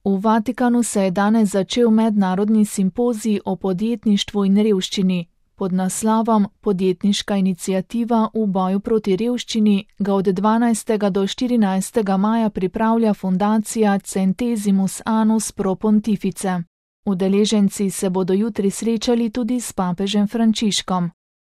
V Vatikanu se je danes začel mednarodni simpozij o podjetništvu in revščini. Pod naslovom Podjetniška iniciativa v boju proti revščini ga od 12. do 14. maja pripravlja fundacija Centesimus Annus Pro Pontifice. Udeleženci se bodo jutri srečali tudi s papežem Frančiškom.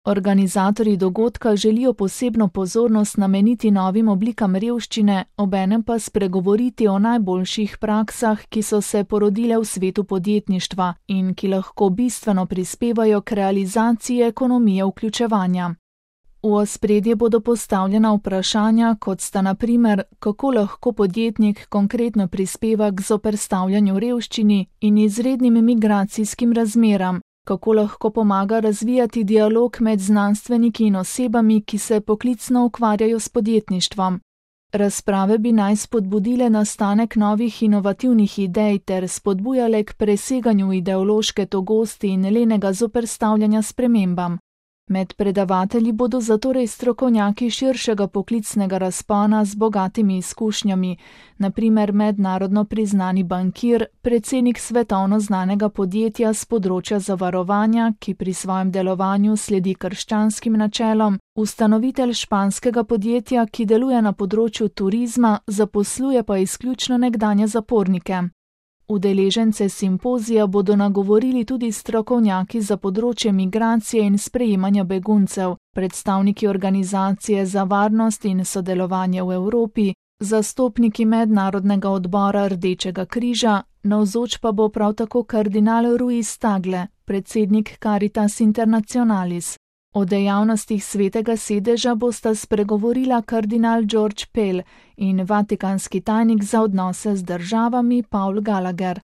Organizatorji dogodka želijo posebno pozornost nameniti novim oblikam revščine, obenem pa spregovoriti o najboljših praksah, ki so se porodile v svetu podjetništva in ki lahko bistveno prispevajo k realizaciji ekonomije vključevanja. V ospredje bodo postavljena vprašanja, kot sta na primer, kako lahko podjetnik konkretno prispeva k zoperstavljanju revščini in izrednim migracijskim razmeram, kako lahko pomaga razvijati dialog med znanstveniki in osebami, ki se poklicno ukvarjajo s podjetništvom. Razprave bi naj spodbudile nastanek novih inovativnih idej ter spodbujale k preseganju ideološke togosti in lenega zoperstavljanja spremembam. Med predavatelji bodo zatorej strokovnjaki širšega poklicnega razpona z bogatimi izkušnjami, na primer mednarodno priznani bankir, predsednik svetovno znanega podjetja s področja zavarovanja, ki pri svojem delovanju sledi krščanskim načelom, ustanovitelj španskega podjetja, ki deluje na področju turizma, zaposluje pa izključno nekdanje zapornike. Udeležence simpozija bodo nagovorili tudi strokovnjaki za področje migracije in sprejemanja beguncev, predstavniki Organizacije za varnost in sodelovanje v Evropi, zastopniki Mednarodnega odbora Rdečega križa, navzoč pa bo prav tako kardinal Ruiz Tagle, predsednik Caritas Internationalis. O dejavnostih Svetega sedeža bosta spregovorila kardinal George Pell in vatikanski tajnik za odnose z državami Paul Gallagher.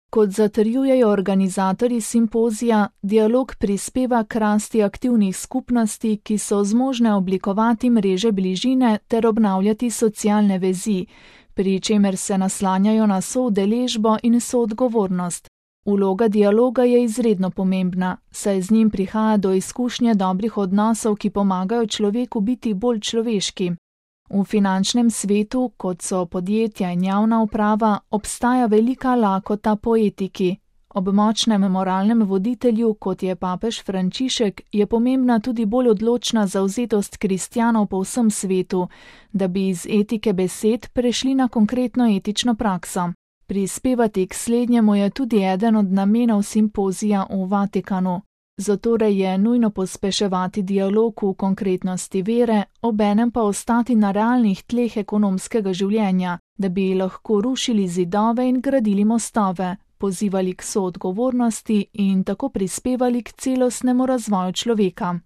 Kot zatrjujejo organizatorji simpozija, dialog prispeva k rasti aktivnih skupnosti, ki so zmožne oblikovati mreže bližine ter obnavljati socialne vezi, pri čemer se naslanjajo na soudeležbo in soodgovornost. Vloga dialoga je izredno pomembna, saj z njim prihaja do izkušnje dobrih odnosov, ki pomagajo človeku biti bolj človeški. V finančnem svetu, kot so podjetja in javna uprava, obstaja velika lakota po etiki. Ob močnem moralnem voditelju, kot je papež Frančišek, je pomembna tudi bolj odločna zavzetost kristjanov po vsem svetu, da bi iz etike besed prešli na konkretno etično prakso. Prispevati k slednjemu je tudi eden od namenov simpozija v Vatikanu. Zatorej je nujno pospeševati dialog v konkretnosti vere, obenem pa ostati na realnih tleh ekonomskega življenja, da bi lahko rušili zidove in gradili mostove, pozivali k soodgovornosti in tako prispevali k celostnemu razvoju človeka.